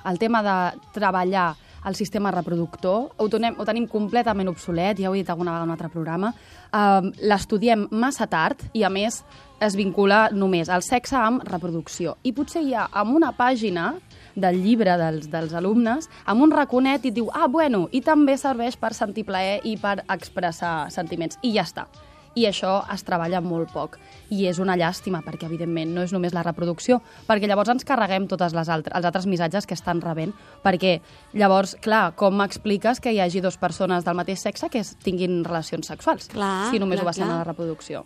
el tema de treballar el sistema reproductor, ho tenim completament obsolet, ja ho he dit alguna vegada en un altre programa, l'estudiem massa tard i, a més, es vincula només el sexe amb reproducció. I potser hi ha en una pàgina del llibre dels alumnes, amb un raconet i et diu, bueno, i també serveix per sentir plaer i per expressar sentiments. I ja està. I això es treballa molt poc. I és una llàstima, perquè, evidentment, no és només la reproducció, perquè llavors ens carreguem tots els altres missatges que estan rebent, perquè llavors, clar, com m'expliques que hi hagi dues persones del mateix sexe que tinguin relacions sexuals, si només ho basem en la reproducció?